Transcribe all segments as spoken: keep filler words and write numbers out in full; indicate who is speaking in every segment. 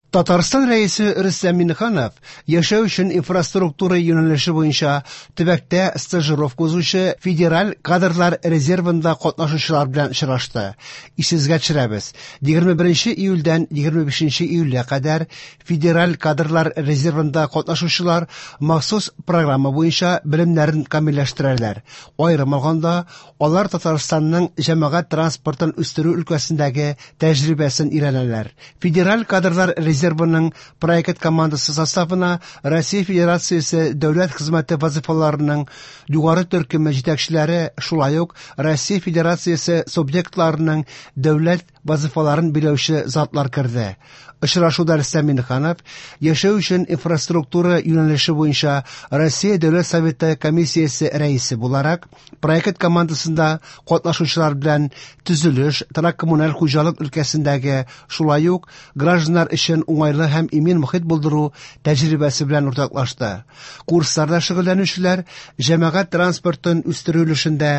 Speaker 1: Татарстан Рәисе Рөстәм Миңнеханов яшәү өчен инфраструктура юнәлеше буенча төбәктә стажировка узучы федераль кадрлар резервында катнашучылар белән очрашты. Исегезгә төшерәбез, егерме беренче июльдән егерме бишенче июльгә кадәр федераль кадрлар резервында катнашучылар махсус программа буенча белемнәрен камилләштерәләр. Аерым алганда, алар Татарстанның җәмәгать транспортын үстерү өлкәсендәге тәҗрибәсен өйрәнәләр. Федераль кадрлар резервының проект командасы составына Россия Федерациясе дәүләт хезмәте вазифаларының югары төркеме җитәкчеләре, шулай ук Россия Федерациясе субъектларының дәүләт вазифаларын биләүче затлар керде. Очрашуда Рөстәм Миңнеханов яшәү өчен инфраструктура юнәлеше буенча Россия Дәүләт Советы комиссиясе рәисе буларак проект командасында катнашучылар белән төзелеш, торак-коммуналь хуҗалык өлкәсендәге, шулай ук гражданнар өчен уңайлы һәм имин мохит булдыру тәҗрибәсе белән уртаклашты. Курсларда шөгыльләнүчеләр җәмәгать транспортын үстерү өлешендә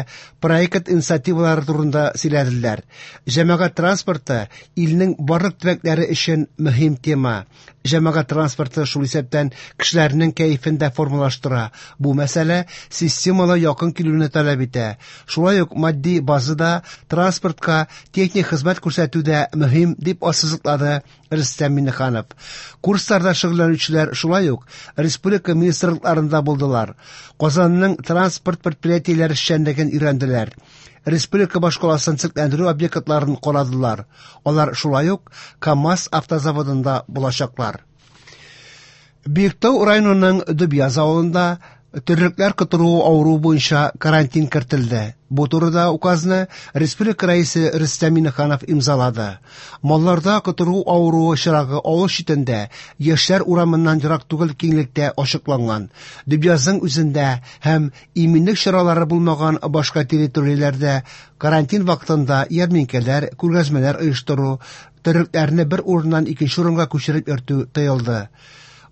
Speaker 1: проект инициативалары турында сөйләделәр. Җәмәгать транспорты илнең барлык төбәкләре өчен мөһим тема. Җәмәгать транспорты шул исәптән кешеләрнең кәефен дә формалаштыра. Бу мәсьәлә системалы якын килүне таләп итә. Шулай ук матди базада транспортка техник хезмәт күрсәтү дә мөһим, дип ассызыклады Рөстәм Миңнеханов. Курсларда шөгыльләнүчеләр шулай ук республика министрлыкларында булдылар. Казанның транспорт предприятиеләре эшчәнлеген өйрәнделәр. Республика башкаласын төзекләндерү объектларын карадылар. Алар шулай ук КАМАЗ автозаводында булачаклар. Биектау районының Дөбьяз авылында терлекләр котыруы авыруы буенча карантин кертелде. Бу турыда указны республика рәисе Рөстәм Миңнеханов имзалады. Малларда котыру авыруы чирагы авыл читендә, Яшьләр урамыннан ерак түгел киңлектә ачыкланган. Дөбьязның үзендә һәм иминлек чаралары булмаган башка территорияләрдә карантин вакытында ярминкәләр, күргәзмәләр оештыру, терлекләрне бер урыннан икенче урынга күчереп йөртү тыелды.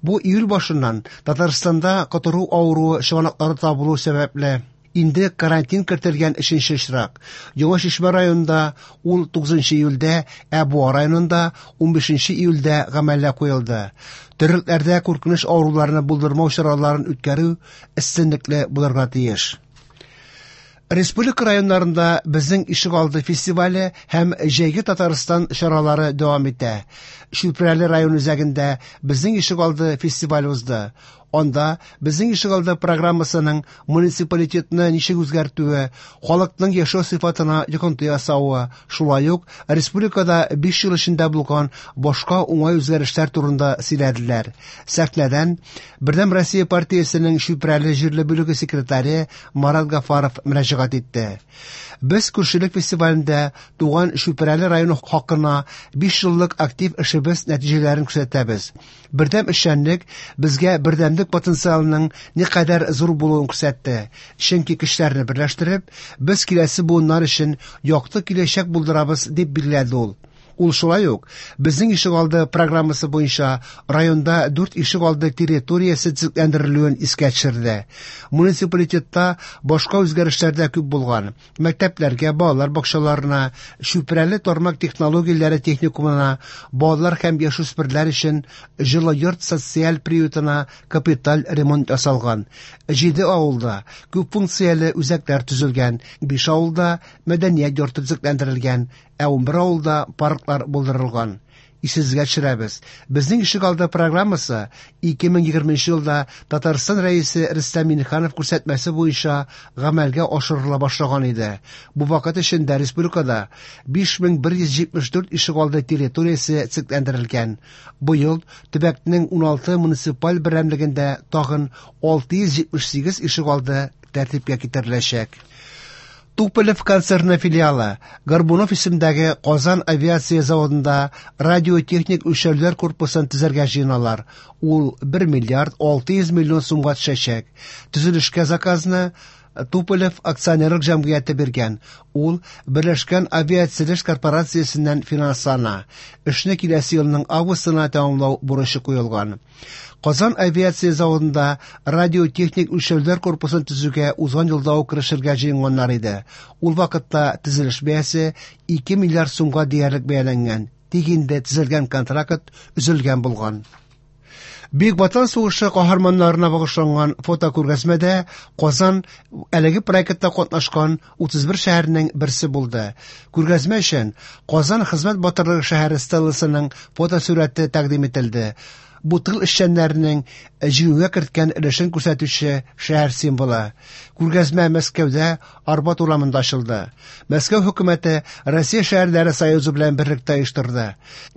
Speaker 1: Бу июль башыннан Татарстанда котыру авыруы чыганаклары табылу сәбәпле инде карантин кертелгән өченче очрак. Яңа Чишмә районында ул тугызынчы июльдә, ә Буа районында унбишенче июльдә гамәлгә куелды. Терлекләрдә куркыныч авыруларны булдырмау чараларын үткәрү өстенлекле булырга тиеш. Республика районнарында Безнең ишегалды фестивале һәм Җәйге Татарстан чаралары дәвам итә. Чүпрәле район үзәгендә Безнең ишегалды фестивале узды. Анда Безнең ишегалды программасының муниципалитетны ничек үзгәртүе, халыкның яшәү сыйфатына йогынты ясавы, шулай ук республикада биш ел эчендә булган башка уңай үзгәрешләр турында сөйләделәр. Сәхнәдән Бердәм Россия партиясенең Чүпрәле җирле бүлеге секретаре Марат Гафаров мөрәҗәгать итте. Без күршелек фестивалендә туган Чүпрәле районы хакына биш еллык актив эшебез нәтиҗәләрен күрсәтәбез. Бердәм эшчәнлек безгә бердәмлек потенциалының никадәр зур булуын күрсәтте. Чөнки көчләрне берләштереп, без киләсе буыннар өчен якты киләчәк булдырабыз, дип билгеләде ул. Ул шулай ук Безнең ишегалды программасы буенча районда дүрт ишегалды территориясе төзекләндерелүен искә төшерде. Муниципалитетта башка үзгәрешләр дә күп булган. Мәктәпләргә, балалар бакчаларына, Чүпрәле тармак технологияләре техникумына, балалар һәм яшүсмерләр өчен җылы йорт социаль приютына капиталь ремонт ясалган. Җиде авылда күп функцияле үзәкләр төзелгән, биш авылда мәдәният йорты төзекләндерелгән, ә унбер авылда парклар булдырылган. Исегезгә төшерәбез. Безнең ишегалды программасы ике мең егерменче елда Татарстан Рәисе Рөстәм Миңнеханов күрсәтмәсе буенча гамәлгә ашырыла башлаган иде. Бу вакыт эчендә республикада биш мең бер йөз җитмеш дүрт ишегалды территориясе төзекләндерелгән. Быел төбәкнең уналты муниципаль берәмлегендә тагын алты йөз җитмеш сигез ишегалды тәртипкә китереләчәк. Туполев концерны филиалы Горбунов исемдәге Казан авиация заводында радиотехник үлчәүләр корпусын төзергә җыеналар. Ул бер миллиард алты йөз миллион сумга төшәчәк. Төзелешкә заказны Туполев акционерлык җәмгыяте биргән. Ул Берләшкән авиациясе корпорациясеннән финанслана. Эшне киләсе елның августына тәмамлау бурычы куелган. Казан авиация заводында радиотехник үлчәүләр корпусын төзүгә узган елда ук керешергә җыенганнар иде. Ул вакытта төзелеш бәясе ике миллиард сумга диярлек бәяләнгән. Тик инде төзелгән контракт өзелгән булган. Бөек Ватан сугышы каһарманнарына багышланган фотокүргәзмәдә Казан әлеге проектта катнашкан утыз бер шәһәрнең берсе булды. Күргәзмә өчен Казан хезмәт батырлыгы шәһәре стелласының фотосурәте тәкъдим ителде. Бу тыл эшчәннәренең җиңүгә керткән өлешен күрсәтүче шәһәр символы. Күргәзмә Мәскәүдә Арбат урамында ачылды. Мәскәү хөкүмәте Россия шәһәрләре союзы белән берлектә оештырды.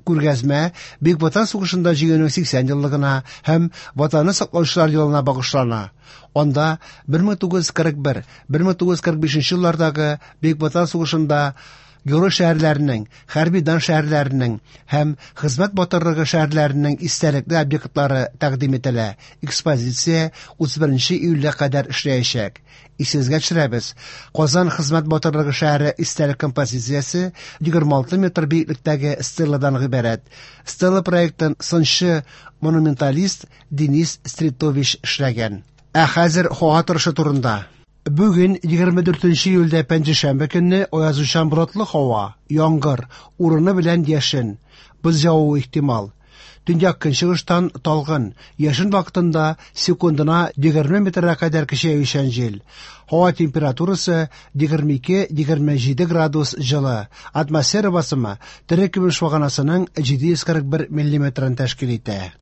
Speaker 1: Күргәзмә Бөек Ватан сугышында җиңүнең сиксән еллыгына һәм Ватанны саклаучылар елына багышлана. Анда бер мең тугыз йөз кырык бер, бер мең тугыз йөз кырык бишенче еллардагы Бөек Ватан сугышында герой шәһәрләренең, хәрби дан шәһәрләренең һәм хезмәт батырлыгы шәһәрләренең истәлекле объектлары тәкъдим ителә. Экспозиция утыз беренче июльгә кадәр эшләячәк. Исегезгә төшерәбез, Казан хезмәт батырлыгы шәһәре истәлек композициясе егерме алты метр биеклектәге стеладан гыйбарәт. Стела проектын сынчы монументалист Денис Стритович эшләгән. Ә хәзер һава торышы турында. Бүген егерме дүртенче июльдә пәнҗешәмбе көнне аязучан болытлы һава, яңгыр, урыны белән яшен, боз явуы ихтимал. Төньяк көнчыгыштан талгын, яшен вакытында секундына егерме метрга кадәр көчәючән җил. Һава температурасы егерме ике-егерме җиде градус җылы. Атмосфера басымы тере көмеш баганасының җиде йөз кырык бер миллиметрын тәшкил итә.